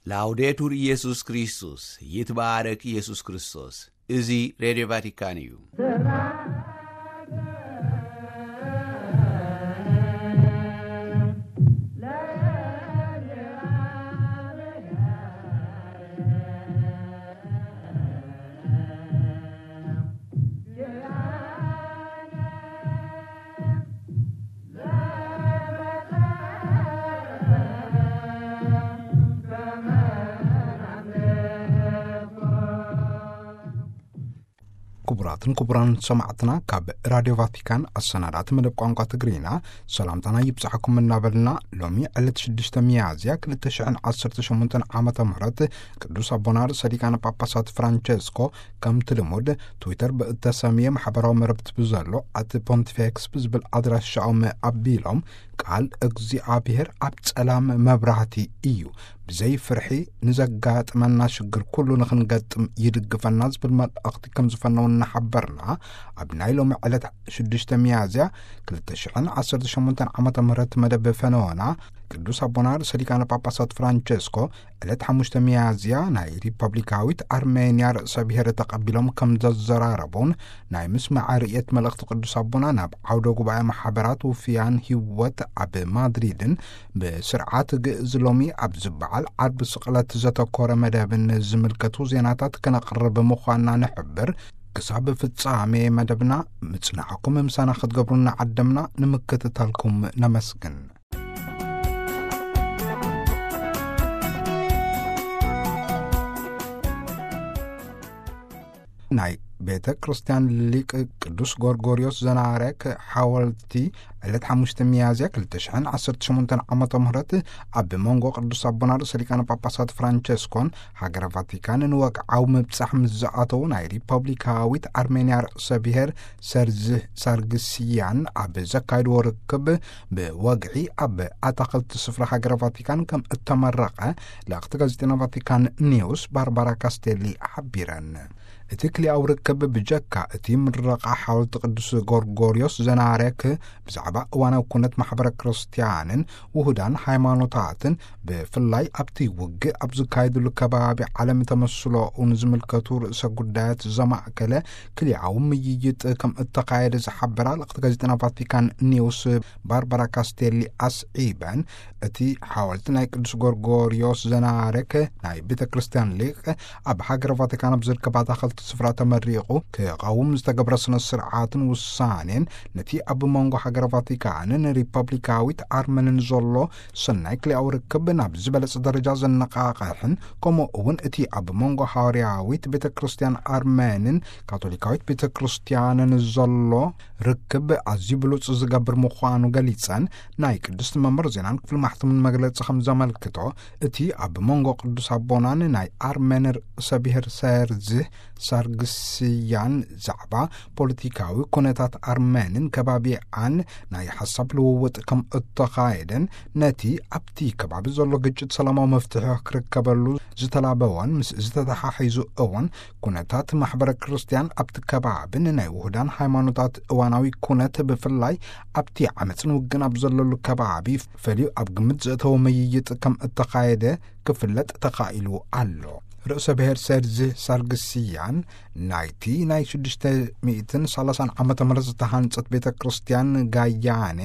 ላውዴቱር ኢየሱስ ክርስቶስ፣ ይትባረክ ኢየሱስ ክርስቶስ። እዚ ሬድዮ ቫቲካን እዩ። ክቡራትን ክቡራን ሰማዕትና፣ ካብ ራድዮ ቫቲካን ኣሰናዳእቲ መደብ ቋንቋ ትግርኛ ሰላምታና ይብጻሕኩም እናበልና፣ ሎሚ ዕለት ሽዱሽተ ሚያዝያ ክልተ ሽሕን ዓሰርተ ሸሞንተን ዓመተ ምህረት ቅዱስ ኣቦና ርእሰ ሊቃነ ጳጳሳት ፍራንቸስኮ ከምቲ ልሙድ ትዊተር ብእተሰምየ ማሕበራዊ መረብቲ ብዘሎ ኣት ፖንቲፌክስ ብዝብል ኣድራሻኦም ኣቢሎም፣ ቃል እግዚኣብሔር ኣብ ጸላም መብራህቲ እዩ። ብዘይ ፍርሒ ንዘጋጥመና ሽግር ኩሉ ንኽንገጥም ይድግፈና ዝብል መልእኽቲ ከም ዝፈነው እናሓበርና፣ ኣብ ናይ ሎሚ ዕለት ሽዱሽተ ሚያዝያ ክልተ ሽሕን ዓሰርተ ሸሞንተን ዓመተ ምህረት መደብ ፈነወና፣ ቅዱስ ኣቦና ርእሰ ሊቃነ ጳጳሳት ፍራንቸስኮ ዕለት ሓሙሽተ ሚያዝያ ናይ ሪፐብሊካዊት ኣርሜንያ ርእሰ ብሔር ተቐቢሎም ከም ዘዘራረቡን፣ ናይ ምስማዕ ርእየት መልእኽቲ ቅዱስ ኣቦና ናብ ዓውደ ጉባኤ ማሕበራት ውፍያን ህይወት ኣብ ማድሪድን ብስርዓት ግእዝ ሎሚ ኣብ ዝበዓል ዓርቢ ስቕለት ዘተኮረ መደብን ዝምልከቱ ዜናታት ከነቕርብ ምዃንና ንሕብር። ክሳብ ፍጻሜ መደብና ምጽናዕኩም ምሳና ክትገብሩ እናዓደምና ንምክትታልኩም ነመስግን። ናይ ቤተ ክርስቲያን ሊቅ ቅዱስ ጎርጎርዮስ ዘናረክ ሓወልቲ ዕለት ሓሙሽተ ሚያዝያ ክልተ ሽሕን ዓሰርተ ሸሞንተን ዓመተ ምህረት ኣብ መንጎ ቅዱስ ኣቦና ርእሰ ሊቃነ ጳጳሳት ፍራንቸስኮን ሃገረ ቫቲካን ንወግዓዊ ምብጻሕ ምስ ዝኣተዉ፣ ናይ ሪፐብሊካዊት ኣርሜንያ ርእሰ ብሔር ሰርዝ ሳርግስያን ኣብ ዘካየድዎ ርክብ፣ ብወግዒ ኣብ ኣታኽልቲ ስፍራ ሃገረ ቫቲካን ከም እተመረቐ ለእኽቲ ጋዜጠና ቫቲካን ኒውስ ባርባራ ካስቴሊ ሓቢረን። እቲ ክልኣዊ ርክብ ብጀካ እቲ ምረቓ ሓወልቲ ቅዱስ ጎርጎርዮስ ዘናረክ ብዛዕባ እዋናዊ ኩነት ማሕበረ ክርስትያንን ውሁዳን ሃይማኖታትን፣ ብፍላይ ኣብቲ ውግእ ኣብ ዝካየድሉ ከባቢ ዓለም ተመስሎኡ ንዝምልከቱ ርእሰ ጉዳያት ዘማእከለ ክልኣዊ ምይይጥ ከም እተኻየደ ዝሓበራ ልእኽቲ ጋዜጠና ቫቲካን ኒውስ ባርባራ ካስቴሊ ኣስዒበን፣ እቲ ሓወልቲ ናይ ቅዱስ ጎርጎርዮስ ዘናረክ ናይ ቤተ ክርስቲያን ሊቅ ኣብ ሃገረ ቫቲካን ኣብ ዝርከብ ኣታኸልቲ ስፍራ ተመሪቑ ክቐውም ዝተገብረ ስነ ስርዓትን ውሳኔን፣ ነቲ ኣብ መንጎ ሃገረ ቫቲካንን ሪፐብሊካዊት ኣርመንን ዘሎ ሰናይ ክልኣዊ ርክብ ናብ ዝበለጸ ደረጃ ዘነቃቕሕን፣ ከምኡ እውን እቲ ኣብ መንጎ ሃዋርያዊት ቤተ ክርስቲያን ኣርመንን ካቶሊካዊት ቤተ ክርስቲያንን ዘሎ ርክብ ኣዝዩ ብሉጽ ዝገብር ምዃኑ ገሊጸን፣ ናይ ቅድስቲ መንበር ዜናን ክፍሊ ማሕተምን መግለጺ ከም ዘመልክቶ፣ እቲ ኣብ መንጎ ቅዱስ ኣቦናን ናይ ኣርሜን ርእሰ ብሔር ሰርዝህ ሳርግስያን ዛዕባ ፖለቲካዊ ኩነታት ኣርሜንን ከባቢኣን ናይ ሓሳብ ልውውጥ ከም እተኻየደን፣ ነቲ ኣብቲ ከባቢ ዘሎ ግጭት ሰላማዊ መፍትሒ ክርከበሉ ዝተላበወን ምስ ዝተተሓሒዙ እውን ኩነታት ማሕበረ ክርስትያን ኣብቲ ከባብን ናይ ውሁዳን ሃይማኖታት እዋናዊ ኩነት ብፍላይ ኣብቲ ዓመፅን ውግን ኣብ ዘለሉ ከባቢ ፈልዩ ኣብ ግምት ዘእተወ ምይይጥ ከም እተኻየደ ክፍለጥ ተኻኢሉ ኣሎ። ርእሰ ብሔር ሰርዝህ ሳርግስያን ናይቲ ናይ ሽዱሽተ ሚእትን ሰላሳን ዓመተ ምህረት ዝተሃንጸት ቤተ ክርስቲያን ጋያኔ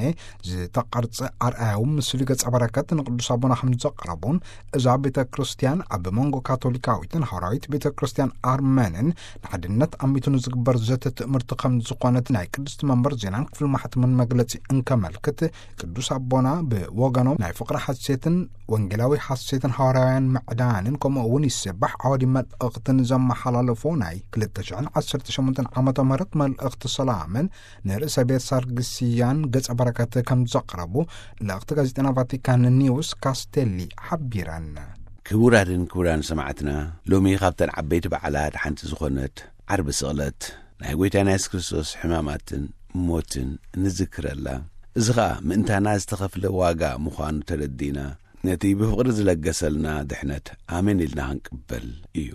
ዝተቐርጸ ኣርኣያዊ ምስሊ ገጸ በረከት ንቅዱስ ኣቦና ከም ዘቕረቡን፣ እዛ ቤተ ክርስቲያን ኣብ መንጎ ካቶሊካዊትን ሃዋርያዊት ቤተ ክርስቲያን ኣርመንን ንሓድነት ኣሚቱ ንዝግበር ዘተ ትእምርቲ ከም ዝኾነት ናይ ቅድስቲ መንበር ዜናን ክፍሊ ማሕተምን መግለጺ እንከመልክት፣ ቅዱስ ኣቦና ብወገኖም ናይ ፍቕሪ ሓሴትን ወንጌላዊ ሓሴትን ሃዋርያውያን ምዕዳንን ከምኡ እውን ይስባሕ ዓወዲ መልእኽትን ዘመሓላለፎ ናይ ክልተ ሽሕን ዓሰርተ ሸሞንተን ዓመተ ምህረት መልእኽቲ ሰላምን ንርእሰ ቤት ሳርግስያን ገጸ በረከት ከም ዘቕረቡ ልእኽቲ ጋዜጠና ቫቲካን ኒውስ ካስቴሊ ሓቢረን። ክቡራትን ክቡራን ሰማዕትና፣ ሎሚ ካብተን ዓበይቲ በዓላት ሓንቲ ዝኾነት ዓርቢ ስቕለት ናይ ጐይታና የሱስ ክርስቶስ ሕማማትን ሞትን እንዝክረላ። እዚ ኸኣ ምእንታና ዝተኸፍለ ዋጋ ምዃኑ ተረዲና፣ ነቲ ብፍቕሪ ዝለገሰልና ድሕነት ኣሜን ኢልና ክንቅበል እዩ።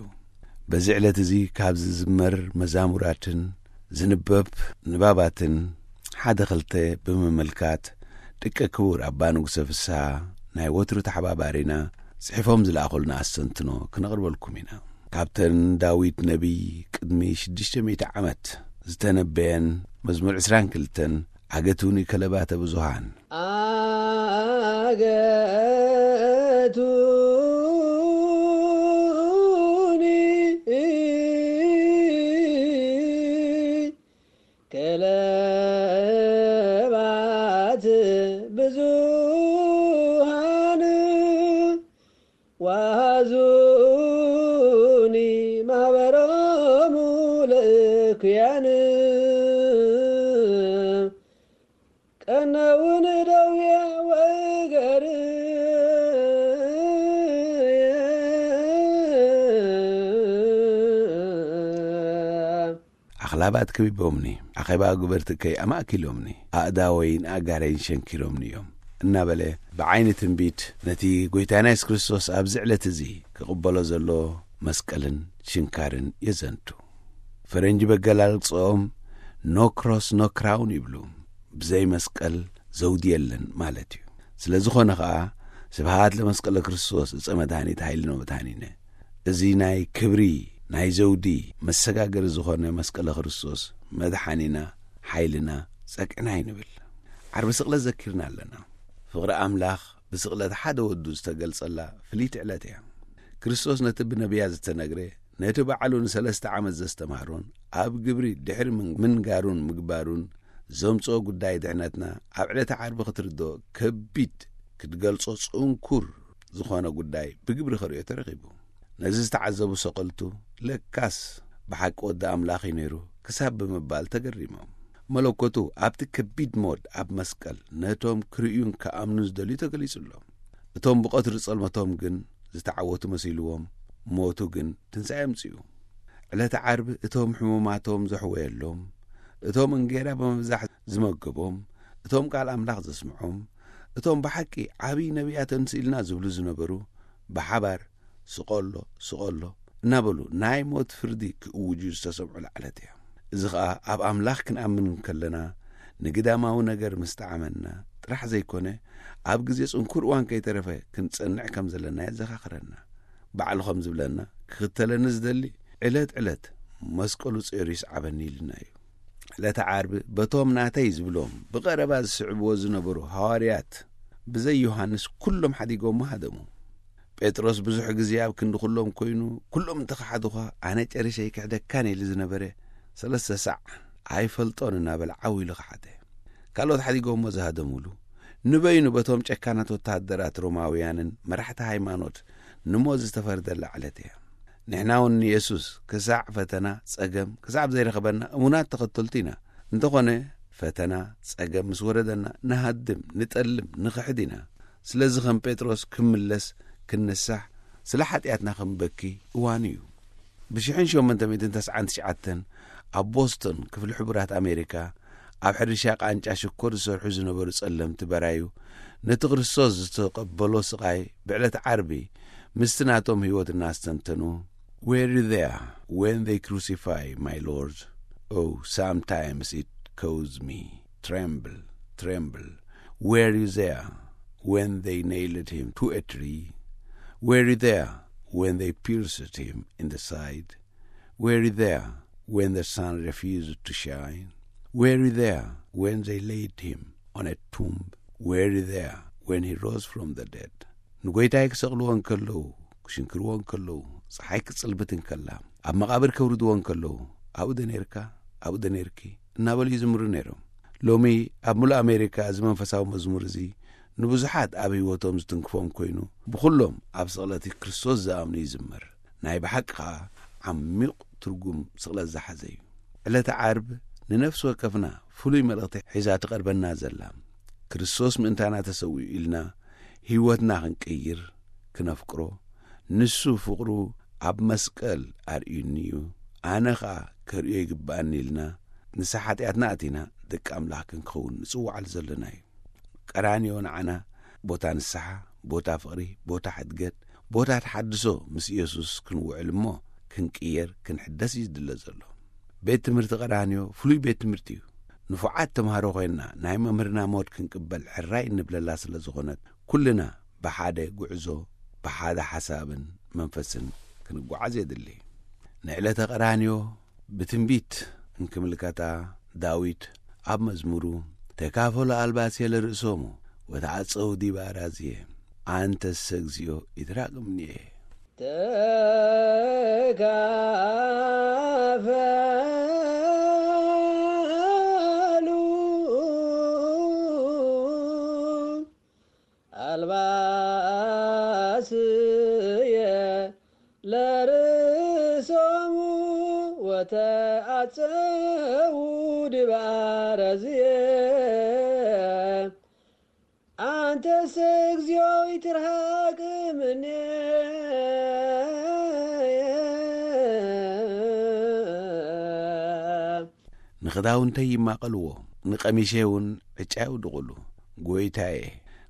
በዚ ዕለት እዚ ካብ ዝዝመር መዛሙራትን ዝንበብ ንባባትን ሓደ ኽልተ ብምምልካት፣ ደቂ ክቡር ኣባ ንጉሰ ፍስሃ ናይ ወትሩ ተሓባባሪና፣ ጽሒፎም ዝለኣኹልና ኣስተንትኖ ክነቕርበልኩም ኢና። ካብተን ዳዊት ነቢይ ቅድሚ ሽዱሽተ ሚእቲ ዓመት ዝተነበየን መዝሙር ዕስራን ክልተን፣ ኣገቱኒ ከለባተ ብዙሃን፣ ኣገቱኒ ከለባት ብዙሃን፣ ወሃዙኒ ማህበሮሙ ለእኩያን፣ ቀነውን ደውየ ወእገር። ኣኽላባት ከቢቦምኒ፣ ኣኼባ ግበርትከይ ኣማእኪሎምኒ፣ ኣእዳወይን ኣእጋረይን ሸንኪሮምኒ እዮም እናበለ፣ ብዓይኒ ትንቢት ነቲ ጐይታና የሱስ ክርስቶስ ኣብዚ ዕለት እዚ ክቕበሎ ዘሎ መስቀልን ሽንካርን የዘንቱ። ፈረንጂ በገላልጽኦም "No cross, no crown" ይብሉ። ብዘይ መስቀል ዘውዲ የለን ማለት እዩ። ስለ ዝኾነ ኸኣ፣ ስብሃት ለመስቀለ ክርስቶስ፣ እፀ መድኃኒት ኃይልነ ወመድኃኒነ። እዚ ናይ ክብሪ፣ ናይ ዘውዲ መሰጋገሪ ዝኾነ መስቀለ ክርስቶስ መድሓኒና፣ ሓይልና፣ ጸግዕና ኣይንብል። ዓርቢ ስቕለት ዘኪርና ኣለና። ፍቕሪ ኣምላኽ ብስቕለት ሓደ ወዱ ዝተገልጸላ ፍልይቲ ዕለት እያ። ክርስቶስ ነቲ ብነቢያት ዝተነግረ፣ ነቲ ባዕሉ ንሰለስተ ዓመት ዘስተምሃሮን ኣብ ግብሪ ድሕሪ ምን-፣ ምንጋሩን ምግባሩን ዘምጽኦ ጉዳይ ድሕነትና ኣብ ዕለተ ዓርቢ ክትርድኦ ከቢድ፣ ክትገልጾ ጽንኩር ዝኾነ ጉዳይ ብግብሪ ከርእዮ ተረኺቡ። ነዚ ዝተዓዘቡ ሰቐልቱ፣ ለካስ ብሓቂ ወዲ ኣምላኽ እዩ ነይሩ ክሳብ ብምባል ተገሪሞም። መለኮቱ ኣብቲ ከቢድ ሞት ኣብ መስቀል ነቶም ክርእዩን ክኣምኑን ዝደልዩ ተገሊጹሎም። እቶም ብቐትሪ ጸልመቶም ግን ዝተዓወቱ መሲልዎም፣ ሞቱ ግን ትንሳኤ ኣምጺኡ። ዕለተ ዓርቢ እቶም ሕሙማቶም ዘሕወየሎም፣ እቶም እንጌራ ብምብዛሕ ዝመገቦም፣ እቶም ቃል ኣምላኽ ዘስምዖም፣ እቶም ብሓቂ ዓብዪ ነቢያት ተንስእልና ዝብሉ ዝነበሩ፣ ብሓባር "ስቐሎ፣ ስቐሎ" እናበሉ ናይ ሞት ፍርዲ ክእውጁ ዝተሰምዑ ዕለት እያ። እዚ ኸኣ ኣብ ኣምላኽ ክንኣምን እንከለና፣ ንግዳማዊ ነገር ምስ ጠዓመና ጥራሕ ዘይኮነ፣ ኣብ ግዜ ጽንኩር እዋን ከይተረፈ ክንጸንዕ ከም ዘለና የዘኻኽረና። ባዕሉ ከም ዝብለና፣ "ክኽተለኒ ዝደሊ ዕለት ዕለት መስቀሉ ጾይሩ ይስዓበኒ" ኢልና እዩ። ዕለተ ዓርቢ በቶም ናተይ ዝብሎም ብቐረባ ዝስዕብዎ ዝነበሩ ሃዋርያት ብዘይ ዮሃንስ ኩሎም ሓዲጎሞ ሃደሙ። ጴጥሮስ ብዙሕ ግዜ ኣብ ክንዲ ኩሎም ኮይኑ፣ ኩሎም እንተኸሓዱኻ፣ ኣነ ጨሪሸ ኣይክሕደካን ኢሉ ዝነበረ፣ ሰለስተ ሳዕ "ኣይፈልጦን" እናበለ ዓው ኢሉ ከሓደ። ካልኦት ሓዲጎሞ ዝሃደሙሉ፣ ንበይኑ በቶም ጨካናት ወተሃደራት ሮማውያንን መራሕቲ ሃይማኖት ንሞት ዝተፈርደላ ዕለት እያ። ንሕና እውን ንየሱስ ክሳዕ ፈተና፣ ጸገም፣ ክሳዕ ዘይረኸበና እሙናት ተኸተልቱ ኢና። እንተኾነ፣ ፈተና፣ ጸገም ምስ ወረደና፣ ንሃድም፣ ንጠልም፣ ንኽሕድ ኢና። ስለዚ ከም ጴጥሮስ ክምለስ፣ ክንንሳሕ፣ ስለ ሓጢኣትና ክንበኪ እዋኑ እዩ። ብሽሕን ሸሞንተ ሚእትን ተስዓን ትሽዓተን ኣብ ቦስቶን፣ ክፍሊ ሕቡራት ኣሜሪካ፣ ኣብ ሕርሻ ቃንጫ ሽኮር ዝሰርሑ ዝነበሩ ጸለምቲ በራዩ፣ ነቲ ክርስቶስ ዝተቐበሎ ስቓይ ብዕለት ዓርቢ ምስቲ ናቶም ህይወት እናስተንተኑ፣ "Were you there when they crucify my Lord? Oh, sometimes it caused me tremble, tremble. Were you there when they nailed him to a tree? Were you there when they pierced him in the side? Were you there when the sun refused to shine? Were you there when they laid him on a tomb? Were you there when he rose from the dead?" ንጎይታይ ክሰቕልዎ እንከለዉ፣ ክሽንክርዎ እንከለዉ፣ ጸሓይ ክጽልብት እንከላ፣ ኣብ መቓብር ከውርድዎ እንከለዉ፣ "ኣብኡ ዶ ነርካ? ኣብኡ ዶ ነርኪ?" እናበሉ ይዝምሩ ነይሮም። ሎሚ ኣብ ምሉእ ኣሜሪካ እዚ መንፈሳዊ መዝሙር እዚ ንብዙሓት ኣብ ህይወቶም ዝትንክፎም ኮይኑ፣ ብኹሎም ኣብ ስቕለት ክርስቶስ ዝኣምኑ ይዝመር። ናይ ብሓቂ ኸኣ ዓሚቕ ትርጉም ስቕለት ዝሓዘ እዩ። ዕለተ ዓርብ ንነፍሲ ወከፍና ፍሉይ መልእኽቲ ሒዛ ትቐርበና ዘላ፣ ክርስቶስ ምእንታና ተሰዊኡ ኢልና ህይወትና ክንቅይር፣ ክነፍቅሮ፣ ንሱ ፍቕሩ ኣብ መስቀል ኣርእዩኒ እዩ፣ ኣነ ኸኣ ከርእዮ ይግብኣኒ ኢልና ንስሓ ሓጢኣትና ኣቲና ደቂ ኣምላኽ ክንከውን ንጽውዓሉ ዘለና እዩ። ቀራንዮ ንዓና ቦታ ንስሓ፣ ቦታ ፍቕሪ፣ ቦታ ሕድገት፣ ቦታ ተሓድሶ ምስ ኢየሱስ ክንውዕል እሞ ክንቅየር፣ ክንሕደስ እዩ ዝድለ ዘሎ። ቤት ትምህርቲ ቀራንዮ ፍሉይ ቤት ትምህርቲ እዩ። ንፉዓት ተምሃሮ ኮይንና ናይ መምህርና ሞት ክንቅበል ሕራይ እንብለላ ስለ ዝኾነት፣ ኩልና ብሓደ ጉዕዞ ብሓደ ሓሳብን መንፈስን ክንጓዓዝ የድሊ። ንዕለተ ቀራንዮ ብትንቢት እንክምልከታ፣ ዳዊት ኣብ መዝሙሩ፣ "ተካፈሉ ኣልባስየ ለርእሶሙ ወተዓጸዉ ዲበ ኣራዝየ፣ ኣንተሰ እግዚኦ ይትራቅምንየ." ተካፈሉ ኣልባስየ ለርእሶሙ ወተዓጸዉ ዲበ ኣራዝየ፣ ኣንተሰ እግዚኦ ይትርሃቅ ምኔ። ንኽዳውንተይ ይማቐልዎ፣ ንቐሚሸይ እውን ዕጫ የውድቑሉ። ጎይታዬ፣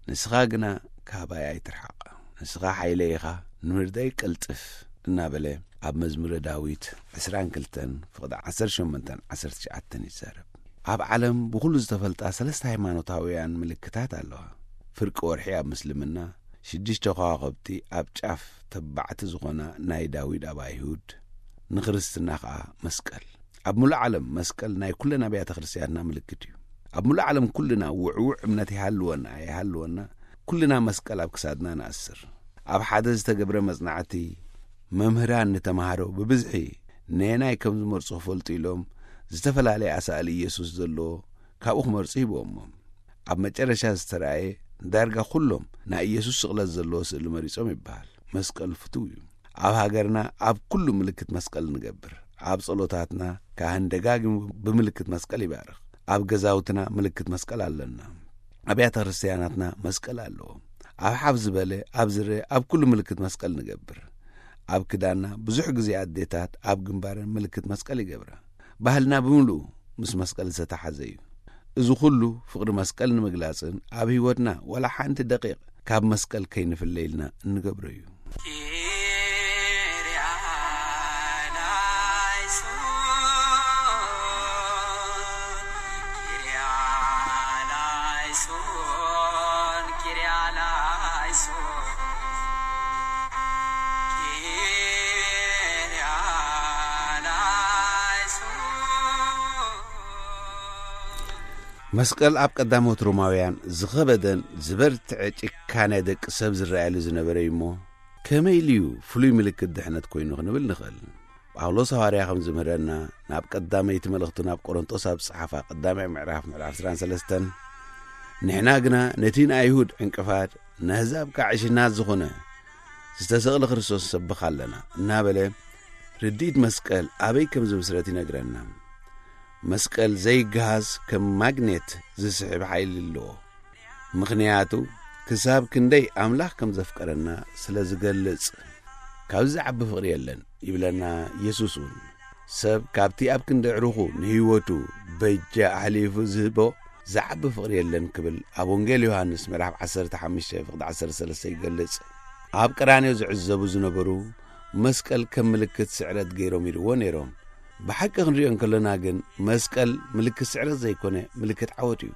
ንስኻ ግና ካባይ ኣይትርሓቕ። ንስኻ ሓይለይ ኢኻ፣ ንምርዳይ ቀልጥፍ፣ እናበለ ኣብ መዝሙረ ዳዊት ዕስራን ክልተን ፍቕዲ ዓሰርተ ሸሞንተን ዓሰርተ ትሽዓተን ይዛረብ። ኣብ ዓለም ብኹሉ ዝተፈልጣ ሰለስተ ሃይማኖታውያን ምልክታት ኣለዋ። ፍርቂ ወርሒ ኣብ ምስልምና፣ ሽዱሽተ ከዋኽብቲ ኣብ ጫፍ ተባዕቲ ዝኾና ናይ ዳዊት ኣብ ኣይሁድ፣ ንክርስትና ኸኣ መስቀል። ኣብ ሙሉእ ዓለም መስቀል ናይ ኩለን ኣብያተ ክርስቲያንና ምልክት እዩ። ኣብ ሙሉእ ዓለም ኩልና ውዕውዕ እምነት ይሃልወና ኣይሃልወና፣ ኩልና መስቀል ኣብ ክሳድና ንኣስር። ኣብ ሓደ ዝተገብረ መጽናዕቲ፣ መምህራን ንተማሃሮ ብብዝሒ ነየናይ ከም ዝመርጹ ክፈልጡ ኢሎም፣ ዝተፈላለየ ኣሳእሊ ኢየሱስ ዘለዎ ካብኡ ክመርጹ ሂቦሞም። ኣብ መጨረሻ ዝተራእየ፣ ዳርጋ ኩሎም ናይ ኢየሱስ ስቕለት ዘለዎ ስእሊ መሪጾም ይበሃል። መስቀል ፍቱው እዩ። ኣብ ሃገርና ኣብ ኩሉ ምልክት መስቀል ንገብር። ኣብ ጸሎታትና ካህን ደጋጊሙ ብምልክት መስቀል ይባርኽ። ኣብ ገዛውትና ምልክት መስቀል ኣለና። ኣብያተ ክርስቲያናትና መስቀል ኣለዎ። ኣብ ሓፍ ዝበለ፣ ኣብ ዝርአ፣ ኣብ ኩሉ ምልክት መስቀል ንገብር። ኣብ ክዳንና ብዙሕ ግዜ ኣዴታት ኣብ ግንባረን ምልክት መስቀል ይገብራ። ባህልና ብምሉኡ ምስ መስቀል ዝተተሓዘ እዩ። እዚ ኩሉ ፍቕሪ መስቀል ንምግላጽን ኣብ ህይወትና ዋላ ሓንቲ ደቂቕ ካብ መስቀል ከይንፍለ ኢልና እንገብሮ እዩ። መስቀል ኣብ ቀዳሞት ሮማውያን ዝኸበደን ዝበርትዐ ጭካነ ደቂ ሰብ ዝረኣየሉ ዝነበረ እዩ እሞ፣ ከመይ ኢሉ እዩ ፍሉይ ምልክት ድሕነት ኮይኑ ክንብል ንኽእል? ጳውሎስ ሃዋርያ ከም ዝምህረና፣ ናብ ቀዳመይቲ መልእኽቱ ናብ ቆሮንቶስ ኣብ ዝጸሓፋ ቀዳማይ ምዕራፍ፣ ምዕራፍ ዕስራን ሰለስተን፣ "ንሕና ግና ነቲ ንኣይሁድ ዕንቅፋት፣ ንኣህዛብ ከኣ ዕሽናት ዝኾነ ዝተሰቕለ ክርስቶስ ንሰብኽ ኣለና" እናበለ፣ ርድኢት መስቀል ኣበይ ከም ዝምስረት ይነግረና። መስቀል ዘይገሃስ ከም ማግኔት ዝስሕብ ሓይሊ ኣለዎ። ምኽንያቱ ክሳብ ክንደይ ኣምላኽ ከም ዘፍቀረና ስለ ዝገልጽ። "ካብዚ ዝዓቢ ፍቕሪ የለን" ይብለና ኢየሱስ እውን። ሰብ ካብቲ ኣብ ክንዲ ኣዕሩኹ ንህይወቱ በጃ ኣሕሊፉ ዝህቦ ዝዓቢ ፍቕሪ የለን ክብል ኣብ ወንጌል ዮሃንስ ምዕራፍ ዓሰርተ ሓሙሽተ ፍቕዲ ዓሰርተ ሰለስተ ይገልጽ። ኣብ ቀራንዮ ዝዕዘቡ ዝነበሩ መስቀል ከም ምልክት ስዕረት ገይሮም ይርእዎ ነይሮም። ብሓቂ ክንሪኦ እንከለና ግን መስቀል ምልክት ስዕረት ዘይኮነ ምልክት ዓወት እዩ።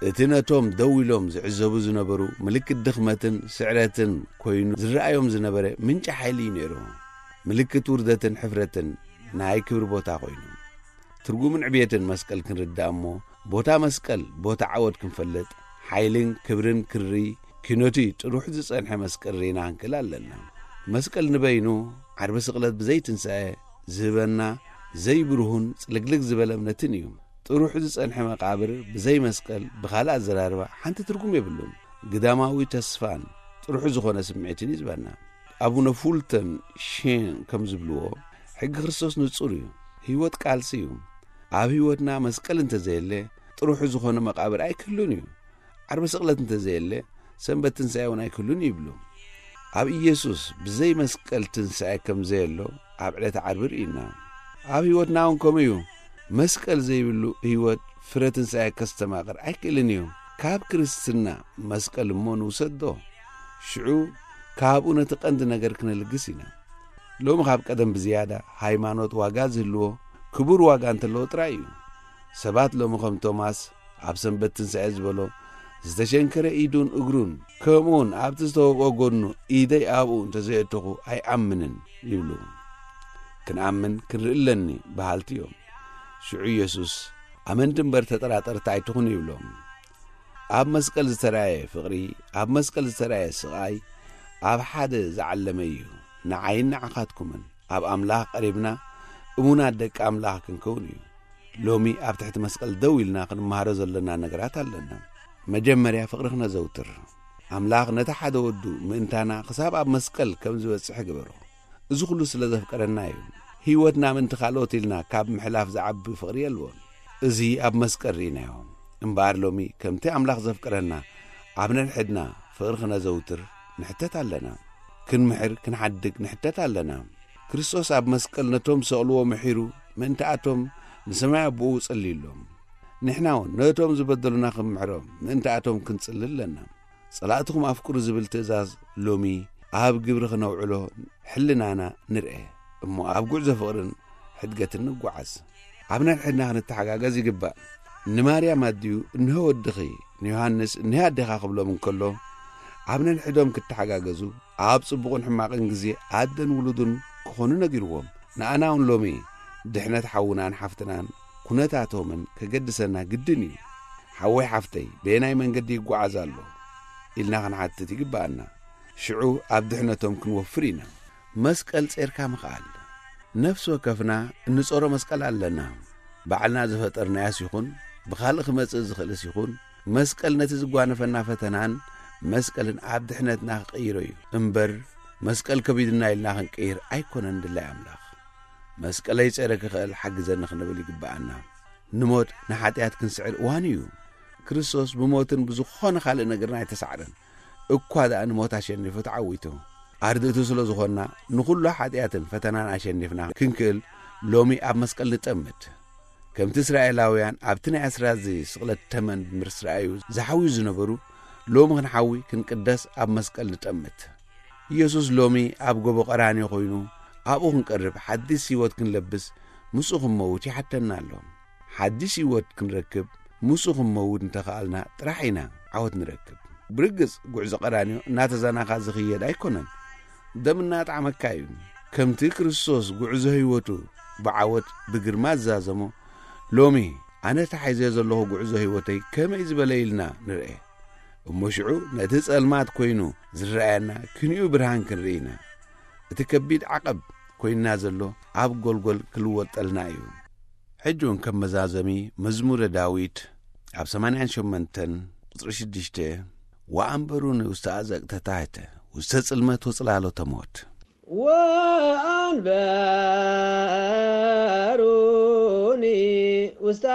እቲ ነቶም ደው ኢሎም ዝዕዘቡ ዝነበሩ ምልክት ድኽመትን ስዕረትን ኮይኑ ዝረኣዮም ዝነበረ ምንጪ ሓይሊ እዩ ነይሩ። ምልክት ውርደትን ሕፍረትን ናይ ክብሪ ቦታ ኮይኑ። ትርጉምን ዕብየትን መስቀል ክንርዳእ እሞ፣ ቦታ መስቀል፣ ቦታ ዓወት ክንፈልጥ፣ ሓይልን ክብርን ክሪ ኪኖቲ ጥሩሕ ዝጸንሐ መስቀል ርኢና ክንክእል ኣለና። መስቀል ንበይኑ ዓርቢ ስቕለት ብዘይ ትንሳኤ ዝህበና ዘይብርሁን ጽልግልግ ዝበለ እምነትን እዩ። ጥሩሕ ዝጸንሐ መቓብር ብዘይ መስቀል ብኻልእ ኣዘራርባ ሓንቲ ትርጉም የብሉን። ግዳማዊ ተስፋን ጥሩሕ ዝኾነ ስምዒትን እዩ ዝበና። ኣቡነ ፉልተን ሼን ከም ዝብልዎ፣ ሕጊ ክርስቶስ ንጹር እዩ። ህይወት ቃልሲ እዩ። ኣብ ህይወትና መስቀል እንተዘየለ፣ ጥሩሑ ዝኾነ መቓብር ኣይክህሉን እዩ። ዓርቢ ስቕለት እንተዘየለ፣ ሰንበት ትንሳኤ እውን ኣይክህሉን እዩ ይብሉ። ኣብ ኢየሱስ ብዘይ መስቀል ትንሳኤ ከም ዘየሎ ኣብ ዕለተ ዓርቢ ርኢና። ኣብ ህይወትና እውን ከምኡ እዩ። መስቀል ዘይብሉ ህይወት ፍረ ትንሳኤ ከስተማቕር ኣይክእልን እዩ። ካብ ክርስትና መስቀል እሞ ንውሰዶ። ሽዑ ካብኡ ነቲ ቀንዲ ነገር ክነልግስ ኢና። ሎሚ ካብ ቀደም ብዝያዳ ሃይማኖት ዋጋ ዝህልዎ ክቡር ዋጋ እንተለዎ ጥራይ እዩ። ሰባት ሎሚ ከም ቶማስ ኣብ ሰንበት ትንሳኤ ዝበሎ ዝተሸንከረ ኢዱን እግሩን፣ ከምኡውን ኣብቲ ዝተወግኦ ጎድኑ ኢደይ ኣብኡ እንተዘየእተኹ ኣይኣምንን ይብሉ። ክንኣምን ክንርኢ ኣለኒ በሃልቲ እዮም። ሽዑ ኢየሱስ፣ "ኣመንቲ እምበር ተጠራጠርቲ ኣይትኹኑ" ይብሎም። ኣብ መስቀል ዝተራእየ ፍቕሪ፣ ኣብ መስቀል ዝተራእየ ስቓይ፣ ኣብ ሓደ ዝዓለመ እዩ። ንዓይን ንዓኻትኩምን ኣብ ኣምላኽ ቀሪብና እሙናት ደቂ ኣምላኽ ክንከውን እዩ። ሎሚ ኣብ ትሕቲ መስቀል ደው ኢልና ክንመሃሮ ዘለና ነገራት ኣለና። መጀመርያ ፍቕሪ ክነዘውትር። ኣምላኽ ነቲ ሓደ ወዱ ምእንታና ክሳብ ኣብ መስቀል ከም ዝበጽሕ ግበሮ። እዚ ኩሉ ስለ ዘፍቀረና እዩ። ህይወትና ምእንቲ ካልኦት ኢልና ካብ ምሕላፍ ዝዓቢ ፍቕሪ የልቦን። እዚ ኣብ መስቀል ርኢናዮ። እምበኣር ሎሚ ከምቲ ኣምላኽ ዘፍቀረና ኣብ ነንሕድና ፍቕሪ ክነዘውትር ንሕተት ኣለና። ክንምሕር ክንሓድግ ንሕተት ኣለና። ክርስቶስ ኣብ መስቀል ነቶም ዝሰቕልዎ ምሒሩ ምእንታኣቶም ንሰማይ ኣቦኡ ጸልዩሎም። ንሕና እውን ነቶም ዝበደሉና ክንምሕሮም ምእንታኣቶም ክንጽሊ ኣለና። "ጸላእትኹም ኣፍቅሩ" ዝብል ትእዛዝ ሎሚ ኣብ ግብሪ ክነውዕሎ ሕልናና ንርኤ እሞ ኣብ ጉዕዞ ፍቕርን ሕድገትን ንጓዓዝ። ኣብ ነንሕድና ክንተሓጋገዝ ይግባእ። ንማርያም ኣዲኡ "እንሆ ወድኺ"፣ ንዮሃንስ "እንሆ ኣዴኻ" ክብሎም እንከሎ፣ ኣብ ነንሕዶም ክተሓጋገዙ፣ ኣብ ጽቡቕን ሕማቕን ግዜ ኣደን ውሉዱን ክኾኑ ነጊርዎም። ንኣና እውን ሎሚ ድሕነት ሓውናን ሓፍትናን ኩነታቶምን ከገድሰና ግድን እዩ። "ሓወይ ሓፍተይ በየናይ መንገዲ ይጓዓዝ ኣሎ?" ኢልና ክንሓትት ይግብኣና። ሽዑ ኣብ ድሕነቶም ክንወፍር ኢና። መስቀል ጼርካ ምኽኣል። ነፍሲ ወከፍና እንጾሮ መስቀል ኣለና። ባዕልና ዝፈጠርናያስ ይኹን ብኻልእ ክመጽእ ዝኽእልስ ይኹን፣ መስቀል ነቲ ዝጓነፈና ፈተናን መስቀልን ኣብ ድሕነትና ክቕይሮ እዩ እምበር፣ መስቀል ከቢድና ኢልና ክንቅይር ኣይኮነን ድላይ ኣምላኽ። "መስቀለይ ጸረ ክኽእል ሓግዘኒ" ክንብል ይግብኣና። ንሞት ንሓጢኣት ክንስዕር እዋን እዩ። ክርስቶስ ብሞትን ብዝኾነ ካልእ ነገርን ኣይተሳዕረን። እኳ ደኣ ንሞት ኣሸኒፉ ተዓዊቱ። ኣርድእቱ ስለ ዝኾንና፣ ንኹሉ ሓጢኣትን ፈተናን ኣሸኒፍና ክንክእል ሎሚ ኣብ መስቀል ንጠምት። ከምቲ እስራኤላውያን ኣብቲ ናይ ኣስራዚ ስቕለት ተመን ምስ ረኣዩ ዝሓውዩ ዝነበሩ፣ ሎሚ ክንሓዊ ክንቅደስ ኣብ መስቀል ንጠምት። ኢየሱስ ሎሚ ኣብ ጎቦ ቀራንዮ ኮይኑ ኣብኡ ክንቀርብ፣ ሓዲስ ህይወት ክንለብስ፣ ምስኡ ክንመውት ይሓተና ኣሎ። ሓዲስ ህይወት ክንረክብ፣ ምስኡ ክንመውት እንተኸኣልና ጥራሕ ኢና ዓወት ንረክብ። ብርግጽ፣ ጉዕዞ ቀራንዮ እናተዛናኻ ዝኽየድ ኣይኮነን። ደም እናጣዕመካ እዩ። ከምቲ ክርስቶስ ጉዕዞ ህይወቱ ብዓወት ብግርማ ዝዛዘሞ፣ ሎሚ ኣነ ተሓይዘ ዘለኹ ጉዕዞ ህይወተይ ከመይ ዝበለ ኢልና ንርኤ። እሞ ሽዑ ነቲ ጸልማት ኮይኑ ዝረኣየና ክንዩ ብርሃን ክንርኢ ኢና። እቲ ከቢድ ዓቐብ ኮይንና ዘሎ ኣብ ጎልጎል ክልወጠልና እዩ። ሕጂ እውን ከም መዛዘሚ መዝሙረ ዳዊት ኣብ ሰማንያን ሸሞንተን ቁጽሪ ሽዱሽተ፣ "ወኣንበሩኒ ውስተ ኣዘቅተ ታሕተ፣ ውስተ ጽልመት ወጽላሎተ ሞት" ወኣንበሩኒ ውስተ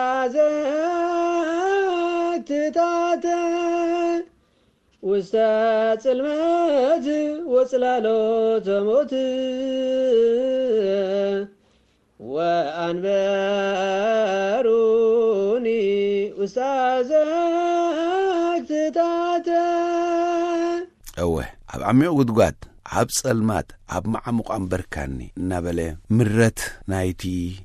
ኣዘቅትታተ ውስተ ጽልመት ወጽላሎተ ሞት ወኣንበሩኒ ውስተ ኣዘቅትታተ። እወ፣ ኣብ ዓሚቕ ጉድጓድ፣ ኣብ ጸልማት፣ ኣብ መዓሙቕ ኣንበርካኒ እናበለ፣ ምረት ናይቲ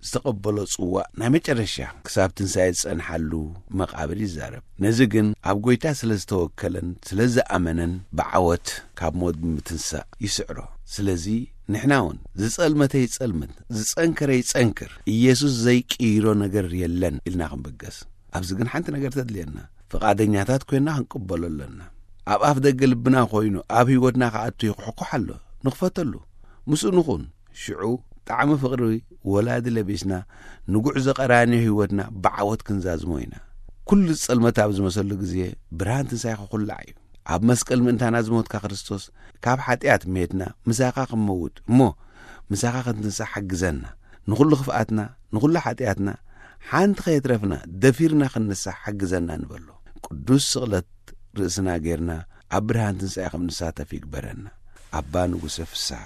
ዝተቐበሎ ጽዋእ ናይ መጨረሻ ክሳብ ትንሳኤ ዝጸንሓሉ መቓብር ይዛረብ። ነዚ ግን ኣብ ጐይታ ስለ ዝተወከለን ስለ ዝኣመነን ብዓወት ካብ ሞት ብምትንሳእ ይስዕሮ። ስለዚ ንሕና እውን ዝጸልመተ ይጸልምት፣ ዝጸንከረ ይጸንክር፣ ኢየሱስ ዘይቅይሮ ነገር የለን ኢልና ክንብገስ። ኣብዚ ግን ሓንቲ ነገር ተድልየና። ፍቓደኛታት ኮይና ክንቅበሎ ኣለና። ኣብ ኣፍ ደገ ልብና ኮይኑ ኣብ ህይወትና ክኣቱ ይኹሕኩሕ ኣሎ። ንኽፈተሉ። ምስኡ ንኹን። ሽዑ ጣዕሚ ፍቕሪ ወላዲ ለቢስና ንጉዕዞ ቀራንዮ ህይወትና ብዓወት ክንዛዝሞ ኢና። ኩሉ ጸልመት ኣብ ዝመሰሉ ግዜ ብርሃን ትንሳኤ ክኹላዕ እዩ። ኣብ መስቀል ምእንታና ዝሞትካ ክርስቶስ፣ ካብ ሓጢኣት ሜትና ምሳኻ ክንመውት እሞ ምሳኻ ክንትንሳእ ሓግዘና። ንኹሉ ክፍኣትና፣ ንኹሉ ሓጢኣትና ሓንቲ ከየትረፍና ደፊርና ክንንሳእ ሓግዘና ንበሎ። ቅዱስ ስቕለት ርእስና ጌርና ኣብ ብርሃን ትንሳኤ ከም ንሳተፍ ይግበረና። ኣባ ንጉሰ ፍስሓ።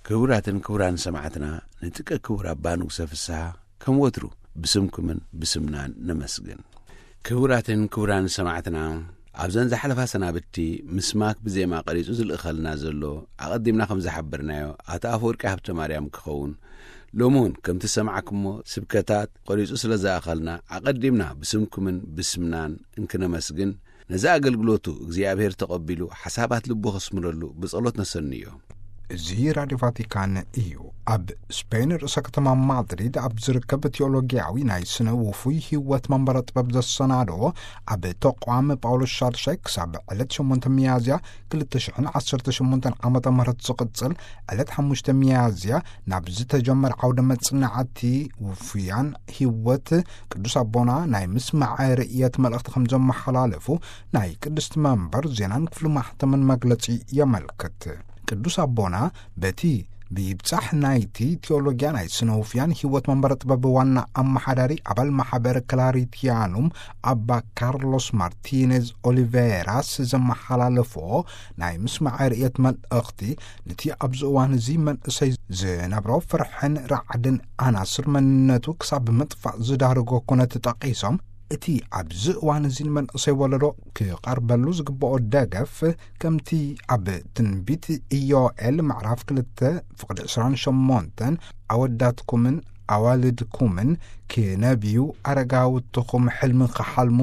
ክቡራትን ክቡራን ሰማዕትና፣ ንጥቀ ክቡር ኣባ ንጉሰ ፍስሓ ከም ወትሩ ብስምኩምን ብስምናን ነመስግን። ክቡራትን ክቡራን ሰማዕትና፣ ኣብዘን ዝሓለፋ ሰናብቲ ምስ ማክ ብዜማ ቀሪጹ ዝልእኸልና ዘሎ፣ ኣቐዲምና ከም ዝሓበርናዮ፣ ኣቶ ኣፈወርቂ ሃብተ ማርያም ክኸውን፣ ሎሚ እውን ከምቲ ዝሰማዕኩሞ ስብከታት ቀሪጹ ስለ ዝኣኸልና፣ ኣቐዲምና ብስምኩምን ብስምናን እንክነመስግን፣ ነዚ ኣገልግሎቱ እግዚኣብሔር ተቐቢሉ ሓሳባት ልቡ ከስምረሉ ብጸሎት ነሰንዮ። እዚ ራድዮ ቫቲካን እዩ። ኣብ ስፔን ርእሰ ከተማ ማድሪድ ኣብ ዝርከብ ቴዎሎጊያዊ ናይ ስነ ውፉይ ህይወት መንበረ ጥበብ ዘሰናድኦ ኣብ ተቋም ጳውሎስ ሻድሻይ ክሳብ ዕለት ሸሞንተ ሚያዝያ ክልተ ሽሕን ዓሰርተ ሸሞንተን ዓመተ ምህረት ዝቕጽል ዕለት ሓሙሽተ ሚያዝያ ናብ ዝተጀመረ ዓውደ መጽናዕቲ ውፉያን ህይወት ቅዱስ ኣቦና ናይ ምስማዕ ርእየት መልእኽቲ ከም ዘመሓላለፉ ናይ ቅድስቲ መንበር ዜናን ክፍሊ ማሕተምን መግለጺ የመልክት። ቅዱስ ኣቦና በቲ ብይብጻሕ ናይቲ ቴዎሎጊያ ናይ ስነ ውፍያን ህይወት መንበረ ጥበብ ዋና ኣመሓዳሪ ኣባል ማሕበር ክላሪቲያኑም ኣባ ካርሎስ ማርቲኔዝ ኦሊቬራስ ዘመሓላለፎ ናይ ምስማዕ ርእየት መልእኽቲ ነቲ ኣብዚ እዋን እዚ መንእሰይ ዝነብሮ ፍርሕን ራዕድን ኣናስር መንነቱ ክሳብ ምጥፋእ ዝዳርጎ ኩነት ጠቒሶም፣ እቲ ኣብዚ እዋን እዚ ንመንእሰይ ወለዶ ክቐርበሉ ዝግብኦ ደገፍ፣ ከምቲ ኣብ ትንቢት ኢዮኤል ምዕራፍ ክልተ ፍቕዲ ዕስራን ሸሞንተን፣ ኣወዳትኩምን ኣዋልድኩምን ክነብዩ፣ ኣረጋውትኹም ሕልሚ ክሓልሙ፣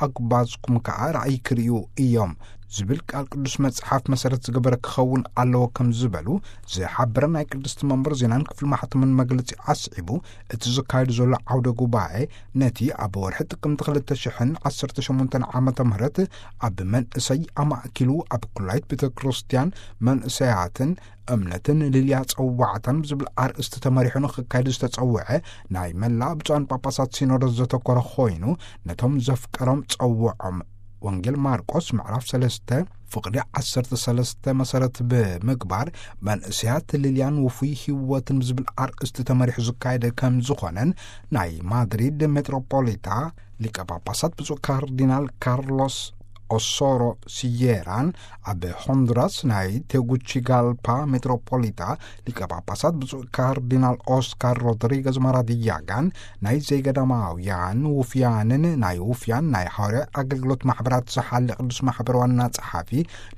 ኣጉባዝኩም ከኣ ራእይ ክርእዩ እዮም ዝብል ቃል ቅዱስ መጽሓፍ መሰረት ዝገበረ ክኸውን ኣለዎ ከም ዝበሉ ዝሓበረ ናይ ቅድስቲ መንበር ዜናን ክፍሊ ማሕተምን መግለጺ ኣስዒቡ፣ እቲ ዝካየድ ዘሎ ዓውደ ጉባኤ ነቲ ኣብ ወርሒ ጥቅምቲ ክልተ ሽሕን ዓሰርተ ሸሞንተን ዓመተ ምህረት ኣብ መንእሰይ ኣማእኪሉ ኣብ ኩላይት ቤተ ክርስቲያን መንእሰያትን እምነትን ልልያ ጸዋዕታን ብዝብል ኣርእስቲ ተመሪሑ ንክካየድ ዝተጸውዐ ናይ መላእ ብፁዓን ጳጳሳት ሲኖዶስ ዘተኮረ ኮይኑ፣ ነቶም ዘፍቀሮም ጸውዖም። ወንጌል ማርቆስ ምዕራፍ ሰለስተ ፍቕዲ ዓሰርተ ሰለስተ መሰረት ብምግባር፣ መንእሰያት ልልያን ውፉይ ህይወትን ብዝብል ኣርእስቲ ተመሪሑ ዝካየደ ከም ዝኾነን ናይ ማድሪድ ሜትሮፖሊታ ሊቀ ጳጳሳት ብፁዕ ካርዲናል ካርሎስ ኦሶሮ ሲየራን ኣብ ሆንዱራስ ናይ ቴጉቺጋልፓ ሜትሮፖሊታ ሊቀ ጳጳሳት ብፁዕ ካርዲናል ኦስካር ሮድሪገዝ ማራዲያጋን ናይ ዘይገዳማውያን ውፍያንን ናይ ውፍያን ናይ ሃዋርያ ኣገልግሎት ማሕበራት ዝሓሊ ቅዱስ ማሕበር ዋና ጸሓፊ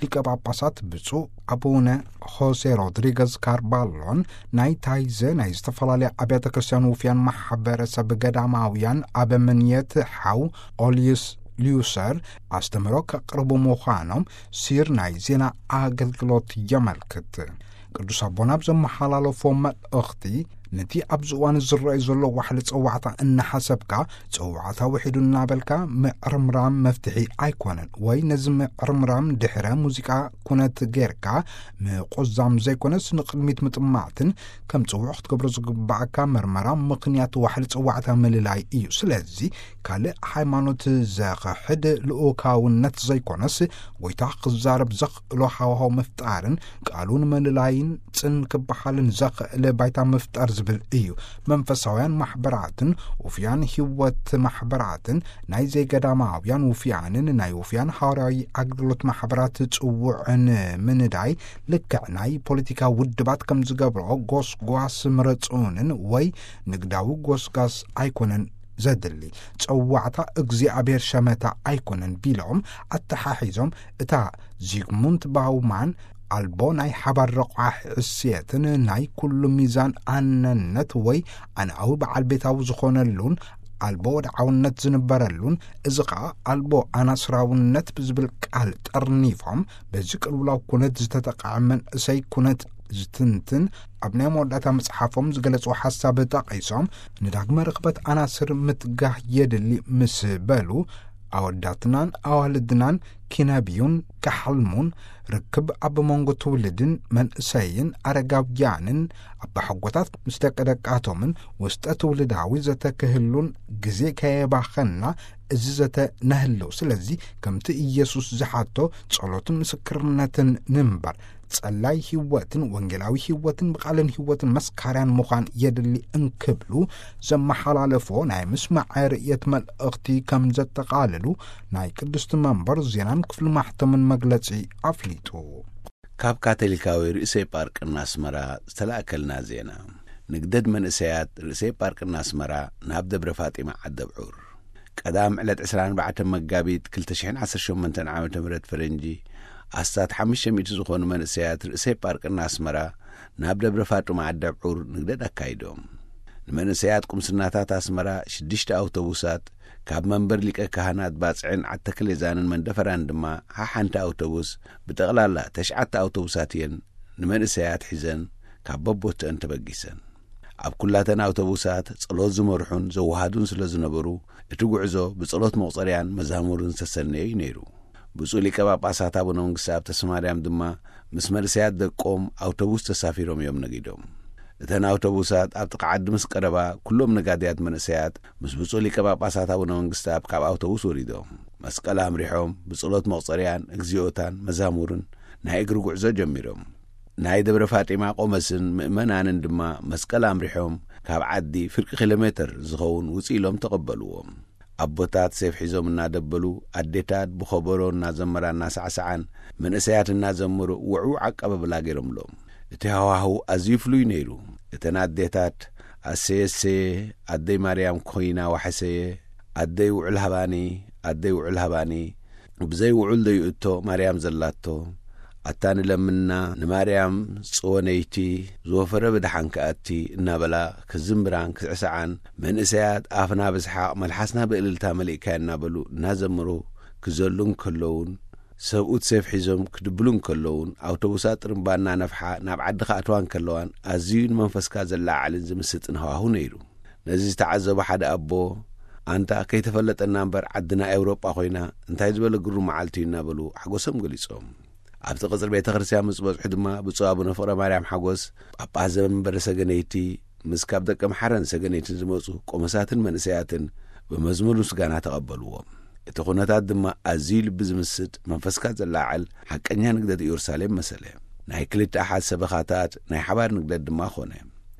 ሊቀ ጳጳሳት ብፁዕ ኣቡነ ሆሴ ሮድሪገዝ ካርባሎን ናይ ታይዘ ናይ ዝተፈላለያ ኣብያተ ክርስቲያን ውፍያን ማሕበረሰብ ገዳማውያን ኣበምንየት ሓው ኦልዩስ ሊዩሰር ኣስተምህሮ ከቕርቡ ምዃኖም ሲር ናይ ዜና ኣገልግሎት የመልክት። ቅዱስ ኣቦና ኣብ ዘመሓላለፎ መልእኽቲ፣ ነቲ ኣብዚ እዋን ዝረኣዩ ዘሎ ዋሕሊ ጸዋዕታ እናሓሰብካ፣ ጸዋዕታ ውሒዱ እናበልካ ምዕርምራም መፍትሒ ኣይኮነን፣ ወይ ነዚ ምዕርምራም ድሕረ ሙዚቃ ኩነት ጌርካ ምቁዛም ዘይኮነስ፣ ንቕድሚት ምጥማትን ከም ጽውዕ ክትገብሮ ዝግባኣካ መርመራ ምኽንያት ዋሕሊ ጸዋዕታ ምልላይ እዩ። ስለዚ፣ ካልእ ሃይማኖት ዘኽሕድ ልኡካውነት ዘይኮነስ፣ ጎይታ ክዛረብ ዘኽእሎ ሃዋህው ምፍጣርን ቃሉ ንምልላይን ጽን ክበሃልን ዘኽእል ባይታ ምፍጣር ዝብል እዩ። መንፈሳውያን ማሕበራትን ውፍያን ህይወት ማሕበራትን ናይ ዘይገዳማውያን ውፍያንን ናይ ውፍያን ሃዋርያዊ ኣገልግሎት ማሕበራት ጽውዕን ምንዳይ ልክዕ ናይ ፖለቲካ ውድባት ከም ዝገብርኦ ጎስጓስ ምረጹንን ወይ ንግዳዊ ጎስጓስ ኣይኮነን ዘድሊ፣ ጸዋዕታ እግዚኣብሔር ሸመታ ኣይኮነን ቢሎም ኣተሓሒዞም፣ እታ ዚግሙንት ባውማን ኣልቦ ናይ ሓባር ረቋሒ እሴትን ናይ ኩሉ ሚዛን ኣነነት ወይ ኣነኣዊ በዓል ቤታዊ ዝኾነሉን ኣልቦ ወድዓውነት ዝንበረሉን፣ እዚ ኸኣ ኣልቦ ኣናስራውነት ብዝብል ቃል ጠርኒፎም፣ በዚ ቅልውላው ኩነት ዝተጠቕዐ መንእሰይ ኩነት ዝትንትን ኣብ ናይ መወዳእታ መጽሓፎም ዝገለጽዎ ሓሳብ ጠቒሶም፣ ንዳግመ ርኽበት ኣናስር ምትጋህ የድሊ ምስ በሉ፣ ኣወዳትናን ኣዋልድናን ኪነብዩን ክሓልሙን፣ ርክብ ኣብ መንጎ ትውልድን መንእሰይን ኣረጋውያንን ኣባሓጎታት ምስ ደቂ ደቃቶምን ውስጠ ትውልዳዊ ዘተ ክህሉን ግዜ ከየባኸና እዚ ዘተ ነህልው። ስለዚ ከምቲ ኢየሱስ ዝሓቶ ጸሎትን ምስክርነትን ንምበር፣ ጸላይ ህይወትን ወንጌላዊ ህይወትን ብቓልን ህይወትን መስካርያን ምዃን የድሊ እንክብሉ ዘመሓላለፎ ናይ ምስማዕ ርእየት መልእኽቲ ከም ዘጠቓልሉ ናይ ቅድስቲ መንበር ዜናን ክፍሊ ማሕተምን መግለጺ ኣፍሊጡ። ካብ ካቶሊካዊ ርእሰ ጳርቅና ኣስመራ ዝተላእከልና ዜና። ንግደድ መንእሰያት ርእሰ ጳርቅና ኣስመራ ናብ ደብረ ፋጢማ ዓደብዑር። ቀዳም ዕለት ዕስራን ኣርባዕተን መጋቢት ክልተ ሽሕን ዓሰርተ ሸሞንተን ዓመተ ምህረት ፈረንጂ፣ ኣስታት ሓሙሽተ ሚእቲ ዝኾኑ መንእሰያት ርእሰ ጳርቅና ኣስመራ ናብ ደብረ ፋጡማ ዓደብዑር ንግደድ ኣካይዶም። ንመንእሰያት ቁምስናታት ኣስመራ ሽዱሽተ ኣውቶቡሳት፣ ካብ መንበር ሊቀ ካህናት ባጽዕን ዓተክሌዛንን መንደፈራን ድማ ሓሓንቲ ኣውቶቡስ፣ ብጠቕላላ ተሽዓተ ኣውቶቡሳት እየን ንመንእሰያት ሒዘን ካብ በቦትአን ተበጊሰን። ኣብ ኩላተን ኣውቶቡሳት ጸሎት ዝመርሑን ዘወሃዱን ስለ ዝነበሩ፣ እቲ ጉዕዞ ብጸሎት መቑጸርያን መዛሙርን ዝተሰነየ እዩ ነይሩ። ብፁዕ ሊቀ ጳጳሳት ኣቡነ መንግስተኣብ ተስፋማርያም ድማ ምስ መንእሰያት ደቆም ኣውቶቡስ ተሳፊሮም እዮም ነጊዶም። እተን ኣውቶቡሳት ኣብ ጥቓ ዓዲ ምስ ቀረባ፣ ኩሎም ነጋድያት መንእሰያት ምስ ብፁዕ ሊቀ ጳጳሳት ኣቡነ መንግስተኣብ ካብ ኣውቶቡስ ወሪዶም፣ መስቀል ኣምሪሖም ብጸሎት መቑጸርያን እግዚኣብታን መዛሙርን ናይ እግሪ ጉዕዞ ጀሚሮም። ናይ ደብረ ፋጢማ ቆመስን ምእመናንን ድማ መስቀል ኣምሪሖም ካብ ዓዲ ፍርቂ ኪሎ ሜተር ዝኸውን ውጽእ ኢሎም ተቐበልዎም። ኣቦታት ሴፍ ሒዞም እናደበሉ፣ ኣዴታት ብኸበሮ እናዘመራ እናሳዕሰዓን፣ መንእሰያት እናዘመሩ ውዕዉዕ ኣቀባብላ ገይሮምሎም። እቲ ሃዋህው ኣዝዩ ፍሉይ ነይሩ። እተን ኣዴታት፣ ኣሰየ ኣሰየ፣ ኣደይ ማርያም ኮይና ዋሕሰየ፣ ኣደይ ውዕል ሃባኒ፣ ኣደይ ውዕል ሃባኒ፣ ብዘይ ውዑል ዶ ይእቶ ማርያም ዘላቶ፣ ኣታ ንለምና ንማርያም ጽወነይቲ፣ ዝወፈረ ብደሓን ክኣቲ እናበላ ክዝምራን ክስዕስዓን፣ መንእሰያት ኣፍና ብስሓቕ መልሓስና ብእልልታ መሊእካዮ እናበሉ እናዘመሩ ክዘሉ እንከለዉን፣ ሰብኡት ሴፍ ሒዞም ክድብሉ እንከለዉን፣ ኣውቶቡሳት ጥርምባ እናነፍሓ ናብ ዓዲ ክኣትዋ እንከለዋን ኣዝዩ ንመንፈስካ ዘለዓዕልን ዝምስጥን ሃዋሁ ነይሩ። ነዚ ዝተዓዘቡ ሓደ ኣቦ፣ ኣንታ ከይተፈለጠና እምበር ዓድና ኤውሮጳ ኮይና፣ እንታይ ዝበለ ግሩም መዓልቲ እዩ እናበሉ ሓጎሶም ገሊጾም። ኣብቲ ቅጽሪ ቤተ ክርስቲያን ምስ በጽሑ ድማ ብፁዕ ኣቡነ ፍቕረ ማርያም ሓጎስ፣ ጳጳስ ዘመንበረ ሰገነይቲ፣ ምስ ካብ ደቀ ምሓረን ሰገነይትን ዝመጹ ቆመሳትን መንእሰያትን ብመዝሙር ምስጋና ተቐበልዎም። እቲ ኩነታት ድማ ኣዝዩ ልቢ ዝምስጥ፣ መንፈስካ ዘላዕል ሓቀኛ ንግደት ኢየሩሳሌም መሰለ። ናይ ክልተ ኣሓት ሰበኻታት ናይ ሓባር ንግደት ድማ ኾነ።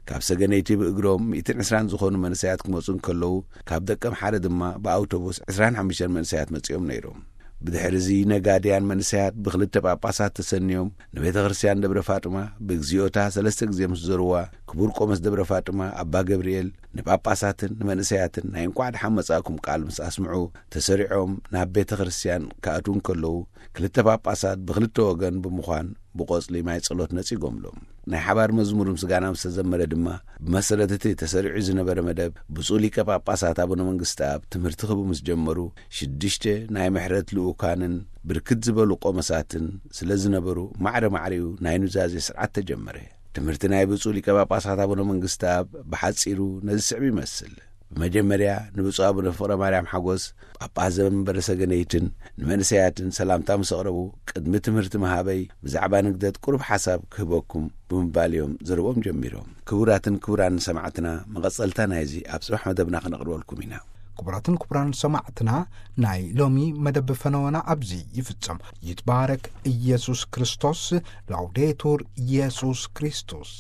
ካብ ሰገነይቲ ብእግሮም ሚእትን ዕስራን ዝኾኑ መንእሰያት ክመጹ እንከለዉ፣ ካብ ደቀ ምሓረ ድማ ብኣውቶቡስ ዕስራን ሓሙሽተን መንእሰያት መጺኦም ነይሮም። ብድሕሪ እዚ ነጋድያን መንእሰያት ብክልተ ጳጳሳት ተሰንዮም ንቤተ ክርስቲያን ደብረ ፋጥማ ብግዚኦታ ሰለስተ ግዜ ምስ ዘርዋ፣ ክቡር ቆመስ ደብረ ፋጥማ ኣባ ገብርኤል ንጳጳሳትን ንመንእሰያትን ናይ እንቋዕ ደሓን መጻእኩም ቃል ምስ ኣስምዑ፣ ተሰሪዖም ናብ ቤተ ክርስቲያን ክኣትዉ እንከለዉ፣ ክልተ ጳጳሳት ብክልተ ወገን ብምዃን ብቆጽሊ ማይ ጸሎት ነጺጎምሎም። ናይ ሓባር መዝሙር ምስጋና ምስ ተዘመረ ድማ፣ ብመሰረት እቲ ተሰሪዑ ዝነበረ መደብ፣ ብፁዕ ሊቀ ጳጳሳት ኣቡነ መንግስተኣብ ትምህርቲ ክህቡ ምስ ጀመሩ፣ ሽዱሽተ ናይ ምሕረት ልኡካንን ብርክት ዝበሉ ቆመሳትን ስለ ዝነበሩ፣ ማዕረ ማዕሪኡ ናይ ኑዛዜ ስርዓት ተጀመረ። ትምህርቲ ናይ ብፁዕ ሊቀ ጳጳሳት ኣቡነ መንግስተኣብ ብሓጺሩ ነዚ ስዕብ ይመስል። ብመጀመርያ ንብፁዕ ኣቡነ ፍቕረ ማርያም ሓጎስ፣ ጳጳስ ዘመንበረ ሰገነይትን ንመንእሰያትን ሰላምታ ምስ ኣቕረቡ፣ ቅድሚ ትምህርቲ ምሃበይ ብዛዕባ ንግደት ቁሩብ ሓሳብ ክህበኩም ብምባል እዮም ዘረብኦም ጀሚሮም። ክቡራትን ክቡራን ሰማዕትና፣ መቐጸልታ ናይዚ ኣብ ጽባሕ መደብና ክነቕርበልኩም ኢና። ክቡራትን ክቡራን ሰማዕትና፣ ናይ ሎሚ መደብ ፈነወና ኣብዚ ይፍጸም። ይትባረክ ኢየሱስ ክርስቶስ። ላውዴቱር ኢየሱስ ክርስቶስ።